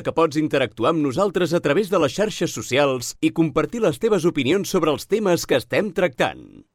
que pots interactuar amb nosaltres a través de les xarxes socials i compartir les teves opinions sobre els temes que estem tractant.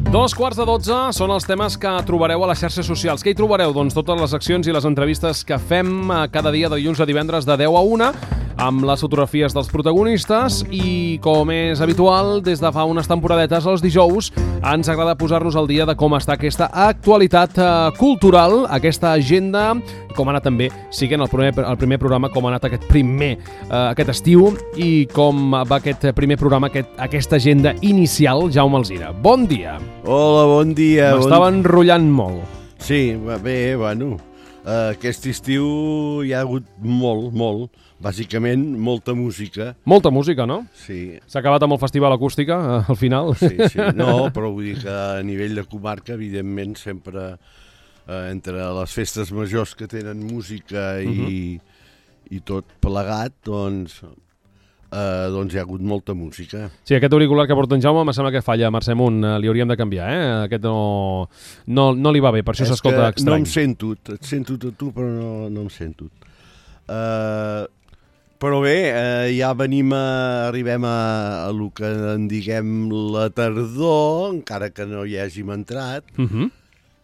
11:45 són els temes que trobareu a les xarxes socials. Què hi trobareu? Doncs totes les accions i les entrevistes que fem cada dia de dilluns a divendres de 10 a 1 amb les fotografies dels protagonistes i, com és habitual, des de fa unes temporadetes, els dijous, ens agrada posar-nos al dia de com està aquesta actualitat cultural, aquesta agenda, com ha anat també, siguent el primer programa, com ha anat aquest estiu i com va aquest primer programa, aquesta agenda inicial. Jaume Alzira, bon dia. Hola, bon dia. M'estava enrotllant molt. Sí, bé, bueno, aquest estiu hi ha hagut molt, bàsicament molta música. Molta música, no? Sí. S'ha acabat amb el Festival Acústica, al final. Sí, no, però vull dir que a nivell de comarca, evidentment, sempre entre les festes majors que tenen música i tot plegat, doncs hi ha hagut molta música. Sí, aquest auricular que porta en Jaume em sembla que falla, Mercè Munt, li hauríem de canviar, Aquest no li va bé, per això s'escolta estrany. No em sento, et sento a tu, però no em sento. Però bé, ja arribem a lo que en diguem la tardor, encara que no hi hàgim entrat,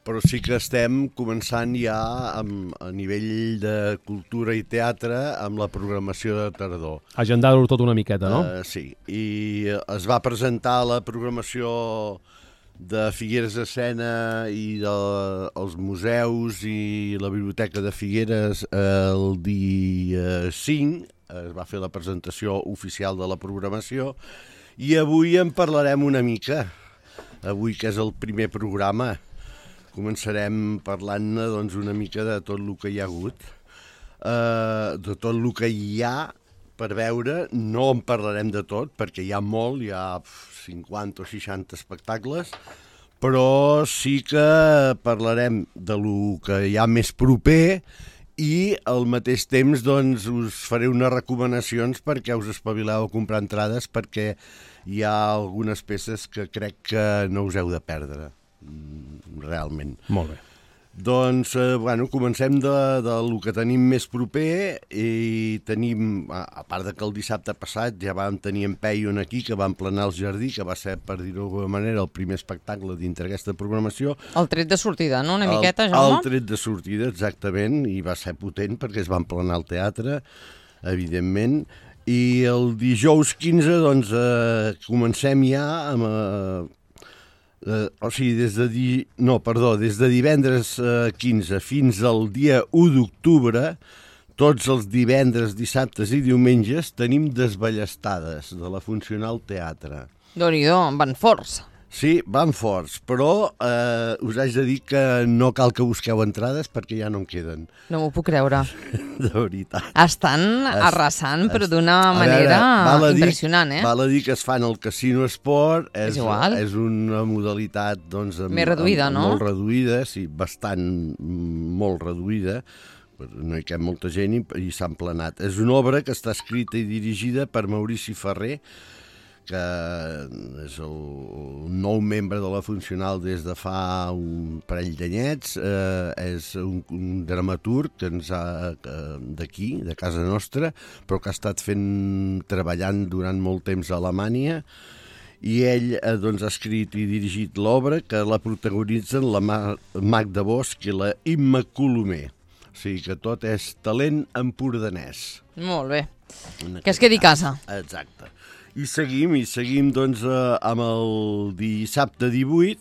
però sí que estem començant ja a nivell de cultura i teatre amb la programació de tardor. Agendar-ho tot una miqueta, no? Sí, i es va presentar la programació de Figueres Escena i dels museus i la Biblioteca de Figueres el dia 5, es va fer la presentació oficial de la programació i avui en parlarem una mica, avui que és el primer programa. Començarem parlant-ne doncs, una mica de tot el que hi ha hagut, de tot el que hi ha per veure. No en parlarem de tot, perquè hi ha molt, hi ha 50 o 60 espectacles, però sí que parlarem de lo que hi ha més proper i al mateix temps doncs, us faré unes recomanacions perquè us espavileu a comprar entrades, perquè hi ha algunes peces que crec que no us heu de perdre. Realment. Molt bé. Doncs, comencem del que tenim més proper i tenim, a part de que el dissabte passat ja vam tenir en Peion aquí, que va emplenar el jardí, que va ser, per dir-ho d'alguna manera, el primer espectacle dintre aquesta programació. El tret de sortida, no? Una miqueta, Jaume? El tret de sortida, exactament, i va ser potent perquè es va emplenar el teatre, evidentment. I el dijous 15, doncs, comencem ja amb... des de divendres 15 fins al dia 1 d'octubre, tots els divendres, dissabtes i diumenges tenim desballestades de la Funcional Teatre. Déu-n'hi-do, van forts. Sí, van forts, però us haig de dir que no cal que busqueu entrades perquè ja no en queden. No m'ho puc creure. De veritat. Estan arrasant, però d'una manera impressionant, Val a dir que es fan al Casino Esport. És igual. És una modalitat, doncs... Més reduïda, no? Molt reduïda, sí, molt reduïda. No hi cap molta gent i s'ha emplenat. És una obra que està escrita i dirigida per Maurici Ferrer, que és el nou membre de la Funcional des de fa un parell d'anyets, és un dramaturg que ens ha d'aquí, de casa nostra, però que ha estat treballant durant molt temps a Alemanya, i ell doncs, ha escrit i dirigit l'obra, que la protagonitzen la Magda Bosch i la Imma Colomer. O sigui que tot és talent empordanès. Molt bé. Que es quedi a casa. Exacte. I seguim doncs, amb el dissabte 18,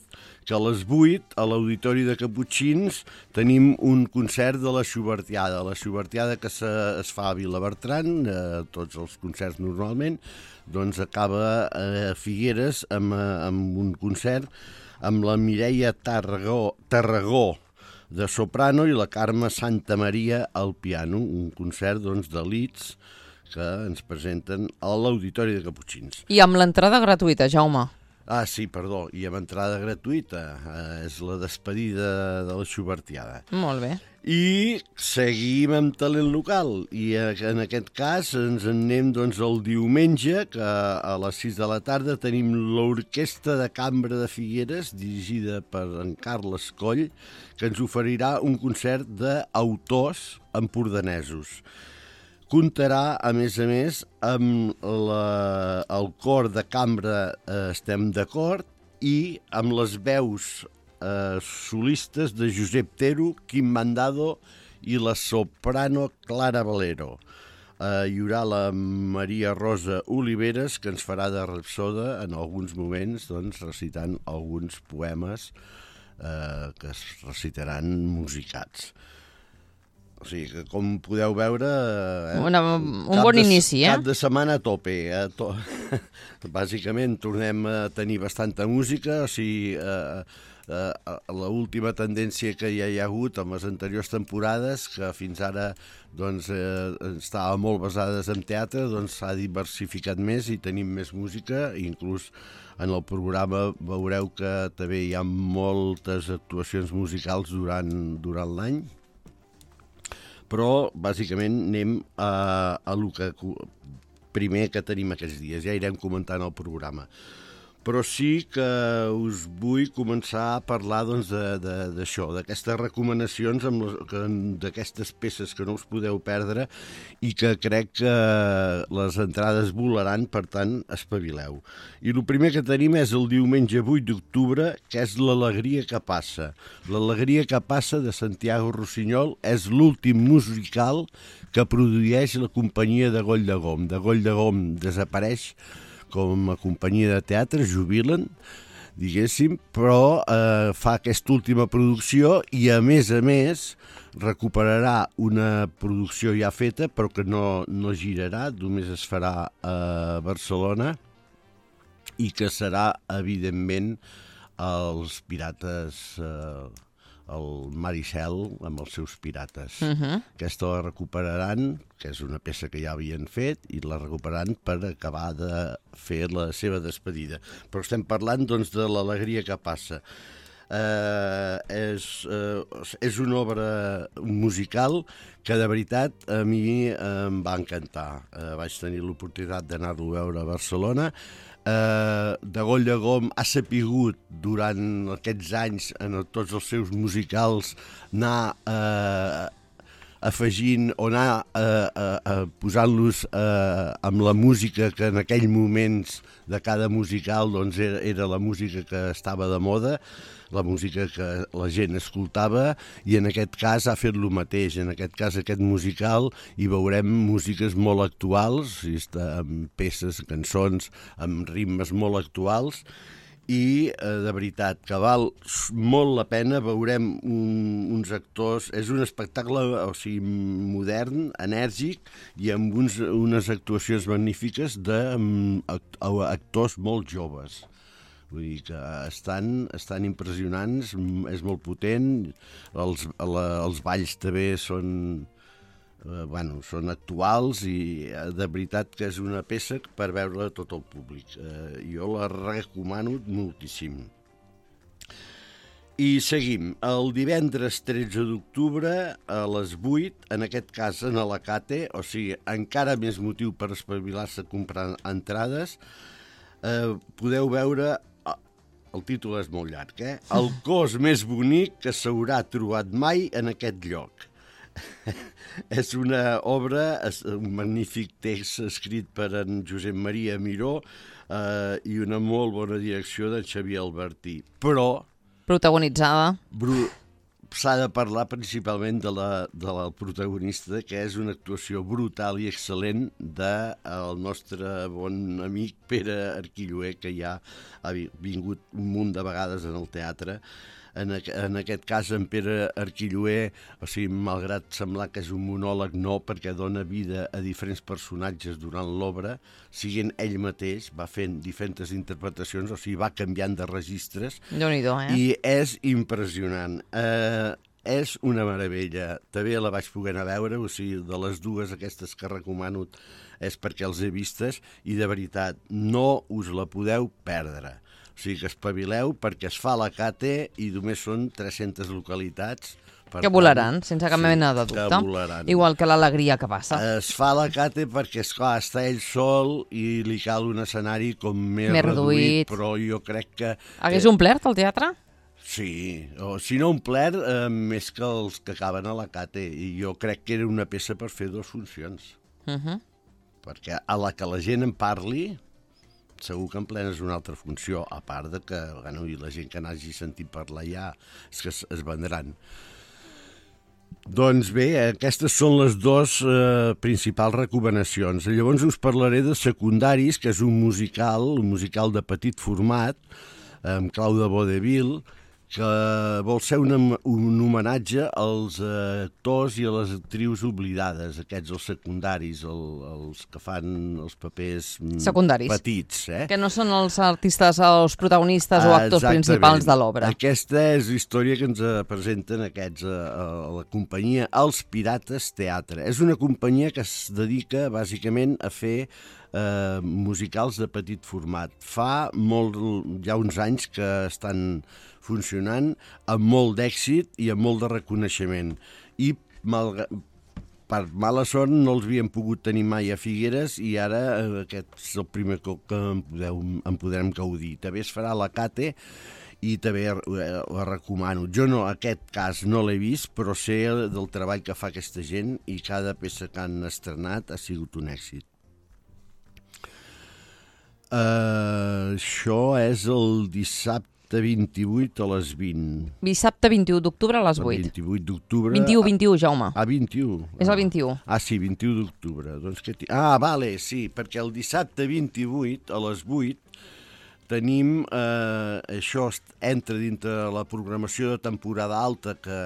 que a les 8, a l'Auditori de Caputxins, tenim un concert de la Schubertiada. La Schubertiada que es fa a Vilabertran, tots els concerts normalment, doncs acaba a Figueres amb un concert amb la Mireia Tarragó de soprano i la Carme Santamaria al piano, un concert doncs, d'elits que ens presenten a l'Auditori de Caputxins. I amb l'entrada gratuïta, Jaume. Ah, sí, perdó, i amb entrada gratuïta. És la despedida de la Xubertiada. Molt bé. I seguim amb talent local, i en aquest cas ens en anem doncs, el diumenge, que a les 6 de la tarda tenim l'Orquestra de Cambra de Figueres, dirigida per en Carles Coll, que ens oferirà un concert d'autors empordanesos. Comptarà, a més, amb el cor de cambra Estem d'acord i amb les veus solistes de Josep Tero, Quim Mandado i la soprano Clara Valero. Hi haurà la Maria Rosa Oliveres, que ens farà de rapsoda en alguns moments, doncs, recitant alguns poemes que es recitaran musicats. O sigui que, com podeu veure... un bon inici, Cap de setmana a tope. Bàsicament tornem a tenir bastanta música, o sigui... l'última tendència que ja hi ha hagut en les anteriors temporades, que fins ara doncs, estava molt basades en teatre, doncs s'ha diversificat més i tenim més música, inclús en el programa veureu que també hi ha moltes actuacions musicals durant l'any, però bàsicament anem a lo que primer que tenim aquests dies, ja irem comentant el programa. Però sí que us vull començar a parlar doncs, d'això, d'aquestes recomanacions, d'aquestes peces que no us podeu perdre i que crec que les entrades volaran, per tant, espavileu. I el primer que tenim és el diumenge 8 d'octubre, que és l'Alegria que passa. L'Alegria que passa de Santiago Rossinyol és l'últim musical que produeix la companyia de Goll de Gom. De Goll de Gom desapareix com a companyia de teatre, jubilen, diguéssim, però fa aquesta última producció i, a més, recuperarà una producció ja feta, però que no girarà, només es farà a Barcelona, i que serà, evidentment, els pirates... el Maricel amb els seus pirates. Aquesta la recuperaran, que és una peça que ja havien fet, i la recuperaran per acabar de fer la seva despedida. Però estem parlant doncs, de l'Alegria que passa. És una obra musical que de veritat a mi em va encantar. Vaig tenir l'oportunitat d'anar-lo a veure a Barcelona. De Goll de Gom ha sapigut durant aquests anys en tots els seus musicals anar afegint o anar posant-los amb la música que en aquell moments de cada musical doncs, era la música que estava de moda, la música que la gent escoltava, i en aquest cas ha fet el mateix. En aquest cas, aquest musical, hi veurem músiques molt actuals, amb peces, cançons, amb ritmes molt actuals, i de veritat que val molt la pena. Veurem uns actors, és un espectacle modern, enèrgic i amb unes actuacions magnífiques d'actors molt joves. Vull dir que estan impressionants, és molt potent, els balls també són actuals i de veritat que és una peça per veure tot el públic. Jo la recomano moltíssim. I seguim. El divendres 13 d'octubre a les 8, en aquest cas en Alacate, o sigui, encara més motiu per espavilar-se a comprar entrades, podeu veure... El títol és molt llarg, El cos més bonic que s'haurà trobat mai en aquest lloc. És una obra, un magnífic text escrit per en Josep Maria Miró i una molt bona direcció d'en Xavier Albertí. Però... protagonitzada. S'ha de parlar principalment de la protagonista, que és una actuació brutal i excel·lent del nostre bon amic Pere Arquilloé, que ja ha vingut un munt de vegades en el teatre. En aquest cas, en Pere Arquilloé, o sigui, malgrat semblar que és un monòleg, no, perquè dona vida a diferents personatges durant l'obra, siguent ell mateix, va fent diferents interpretacions, o sigui, va canviant de registres. Déu-n'hi-do, I és impressionant. És una meravella. També la vaig poder anar a veure, o sigui, de les dues aquestes que recomano és perquè els he vistes, i de veritat, no us la podeu perdre. O sigui que espavileu perquè es fa la CATE i només són 300 localitats. Que volaran, sense cap mena de dubte. Igual que l'alegria que passa. Es fa la CATE perquè, esclar, està ell sol i li cal un escenari com més reduït, però jo crec que... Hagués omplert el teatre? Sí, o si no omplert, més que els que acaben a la CATE. I jo crec que era una peça per fer 2 funcions. Perquè a la que la gent en parli, segur que en plena és una altra funció, a part de que la gent que n'hagi sentit parlar ja és que es vendran. Doncs bé, aquestes són les 2 principals recomanacions. Llavors us parlaré de Secundaris, que és un musical de petit format, amb clau de vodevil, que vol ser un homenatge als actors i a les actrius oblidades, aquests els secundaris, els que fan els papers petits. Que no són els artistes, els protagonistes o actors principals de l'obra. Aquesta és la història que ens presenten aquests a la companyia Els Pirates Teatre. És una companyia que es dedica bàsicament a fer musicals de petit format. Fa ja uns anys que estan funcionant amb molt d'èxit i amb molt de reconeixement. I per mala sort no els havíem pogut tenir mai a Figueres i ara aquest és el primer cop que en podrem gaudir. També es farà la CATE i també la recomano. Jo no, aquest cas no l'he vist, però sé del treball que fa aquesta gent i cada peça que han estrenat ha sigut un èxit. Això és el dissabte 28 a les 20. Dissabte 21 d'octubre a les 8. 28 d'octubre... 21, Jaume. Ah, 21. És el 21. Ah, sí, 21 d'octubre. Vale, sí, perquè el dissabte 28 a les 8 tenim... això entra dintre la programació de temporada alta que,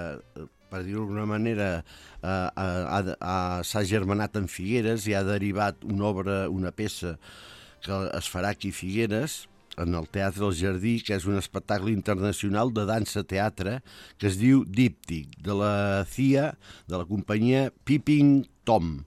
per dir-ho d'alguna manera, s'ha germanat en Figueres i ha derivat una peça que es farà aquí a Figueres, en el Teatre del Jardí, que és un espectacle internacional de dansa-teatre que es diu Díptic, de la CIA, de la companyia Peeping Tom.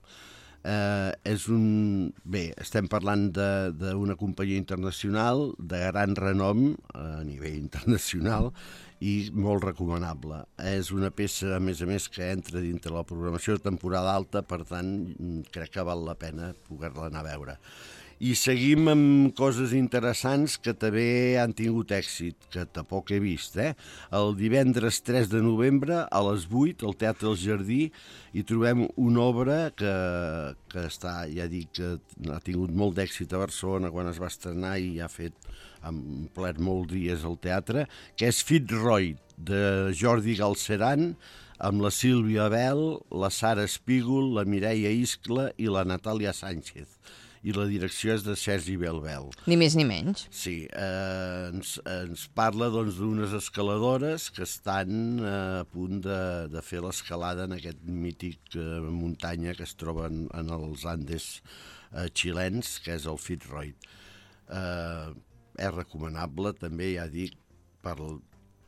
Estem parlant d'una companyia internacional de gran renom a nivell internacional i molt recomanable. És una peça, a més, que entra dintre la programació de temporada alta, per tant, crec que val la pena poder-la anar a veure. I seguim amb coses interessants que també han tingut èxit, que tampoc he vist. El divendres 3 de novembre, a les 8, al Teatre del Jardí, hi trobem una obra que està, ja dic, que ha tingut molt d'èxit a Barcelona quan es va estrenar i ha omplert molts dies al teatre, que és Fitzroy, de Jordi Galceran, amb la Sílvia Bel, la Sara Espígol, la Mireia Iscla i la Natàlia Sánchez. I la direcció és de Sergi Belbel. Ni més ni menys. Sí, ens parla d'unes escaladores que estan a punt de fer l'escalada en aquest mític muntanya que es troba en els Andes xilens, que és el Fitzroy. És recomanable, també, ja dic,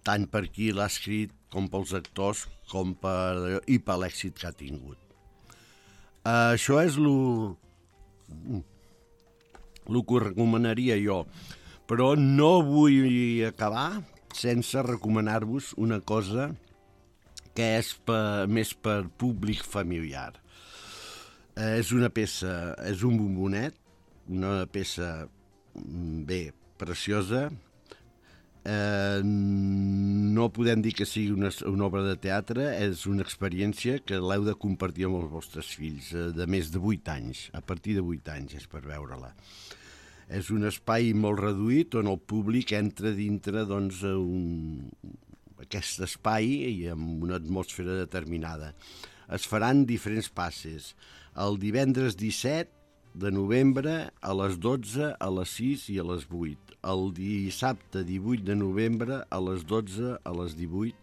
tant per qui l'ha escrit com pels actors i per l'èxit que ha tingut. Això és el que recomanaria jo, però no vull acabar sense recomanar-vos una cosa que és més per públic familiar. És una peça, és un bombonet, una peça preciosa. No podem dir que sigui una obra de teatre, és una experiència que l'heu de compartir amb els vostres fills de més de 8 anys, a partir de 8 anys és per veure-la. És un espai molt reduït on el públic entra dintre aquest espai i amb una atmosfera determinada. Es faran diferents passes. El divendres 17 de novembre a les 12, a les 6 i a les 8. El dissabte 18 de novembre a les 12, a les 18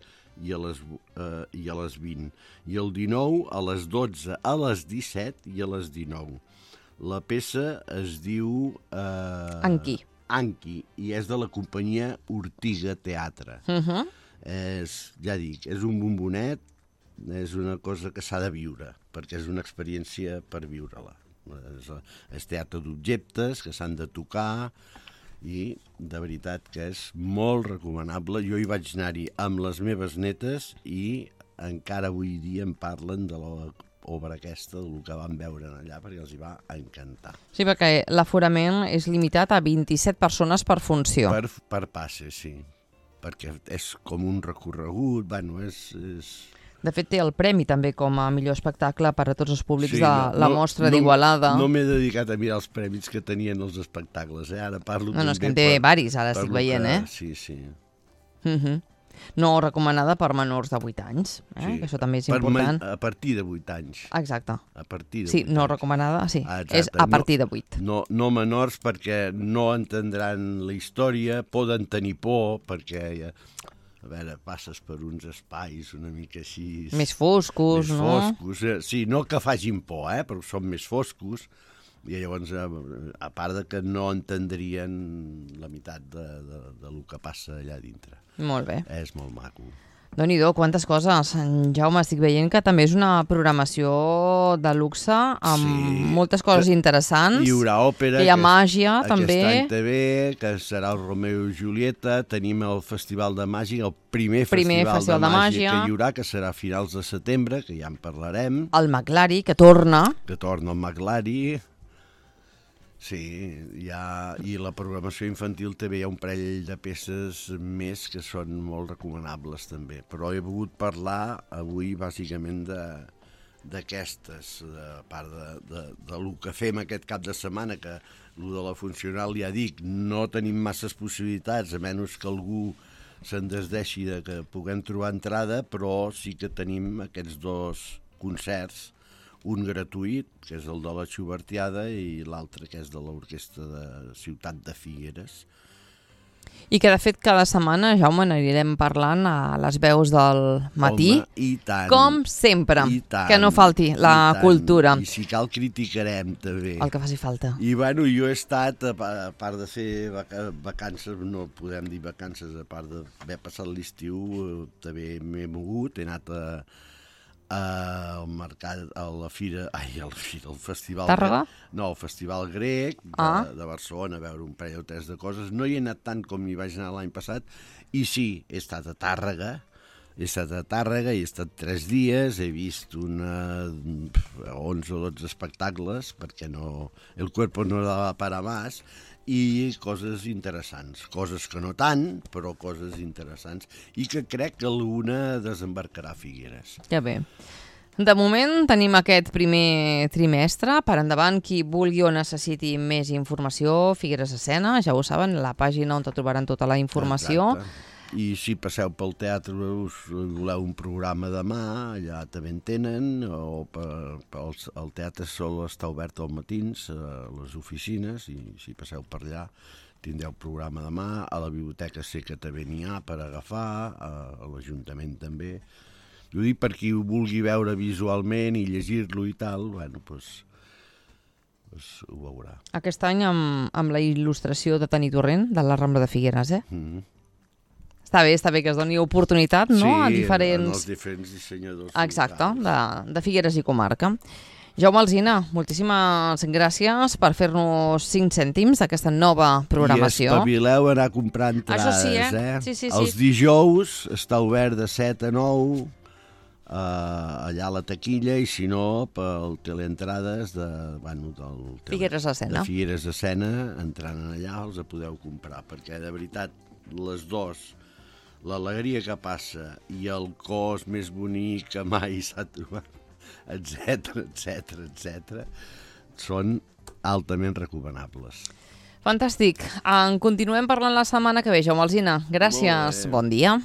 i a les 20. I el 19 a les 12, a les 17 i a les 19. La peça es diu... Anqui. Anqui, i és de la companyia Ortiga Teatre. Ja dic, és un bombonet, és una cosa que s'ha de viure, perquè és una experiència per viure-la. És teatre d'objectes que s'han de tocar i de veritat que és molt recomanable. Jo hi vaig anar-hi amb les meves netes i encara avui dia em parlen de l'obra aquesta, del que van veure allà, perquè els hi va encantar. Sí, perquè l'aforament és limitat a 27 persones per funció. Per passe, sí, perquè és com un recorregut, bueno, és... De fet, té el premi també com a millor espectacle per a tots els públics de la mostra d'Igualada. No m'he dedicat a mirar els premis que tenien els espectacles, ara parlo també... No, és que en té varis, ara estic veient, Sí, sí. No recomanada per menors de 8 anys, que això també és important. A partir de 8 anys. Exacte. A partir de 8 sí, no anys. Recomanada, sí, és a partir de 8. No menors perquè no entendran la història, poden tenir por perquè... A veure, passes per uns espais una mica així... Més foscos, no? Més foscos, sí, no que facin por, però són més foscos, i llavors, a part de que no entendrien la meitat del que passa allà dintre. Molt bé. És molt maco. Déu-n'hi-do, quantes coses. Jaume, estic veient que també és una programació de luxe amb moltes coses interessants. Hi haurà òpera. Hi ha màgia, també. Aquest any també, que serà el Romeo i Julieta. Tenim el Festival de Màgia, el primer festival de màgia que hi haurà, que serà a finals de setembre, que ja en parlarem. El Maglari, que torna. Que torna el Maglari. Sí, i la programació infantil també hi ha un parell de peces més que són molt recomanables també, però he volgut parlar avui bàsicament d'aquestes, a part de lo que fem aquest cap de setmana, que lo de la funcional ja dic, no tenim masses possibilitats, a menys que algú se'n desdeixi de que puguem trobar entrada, però sí que tenim aquests 2 concerts, un gratuït, que és el de la Xubertiada, i l'altre, que és de l'Orquestra de Ciutat de Figueres. I que, de fet, cada setmana, Jaume, n'anirem parlant a les veus del matí. Home, i tant. Com sempre, que no falti la cultura. I si cal criticarem, també. El que faci falta. I, bueno, jo he estat, a part de fer vacances, no podem dir vacances, a part d'haver passat l'estiu, també m'he mogut, he anat al mercat, a la fira, al festival... Tàrrega? No, el festival grec de Barcelona, a veure un parell o 3 de coses. No hi he anat tant com hi vaig anar l'any passat, i sí, he estat a Tàrrega, he estat 3 dies, he vist 11 o 12 espectacles, perquè el cuerpo no daba para más, i coses interessants, coses que no tant, però coses interessants, i que crec que alguna desembarcarà a Figueres. Ja bé. De moment tenim aquest primer trimestre. Per endavant, qui vulgui o necessiti més informació, Figueres Escena, ja ho saben, la pàgina on trobaran tota la informació. Exacte. I si passeu pel teatre, us voleu un programa demà, allà també en tenen, o el teatre sol està obert als matins, a les oficines, i si passeu per allà tindreu programa demà. A la biblioteca sé que també n'hi ha per agafar, a l'Ajuntament també. Jo dic per qui ho vulgui veure visualment i llegir-lo i tal, bueno, doncs ho veurà. Aquest any amb la il·lustració de Tani Torrent, de la Rambla de Figueres, Està bé que es doni oportunitat, no? A diferents... els diferents dissenyadors. Exacte, de Figueres i comarca. Jaume Alsina, moltíssimes gràcies per fer-nos 5 cèntims d'aquesta nova programació. I espavileu a anar a comprar entrades, Això sí. Els dijous està obert de 7 a 9, allà a la taquilla, i si no, pel teleentrades del Figueres Escena. De Figueres Escena, entrant allà els podeu comprar, perquè de veritat les dues, l'alegria que passa i el cos més bonic que mai s'ha trobat, etc., són altament recomanables. Fantàstic. En continuem parlant la setmana que ve, Jaume Alsina. Gràcies. Bon dia.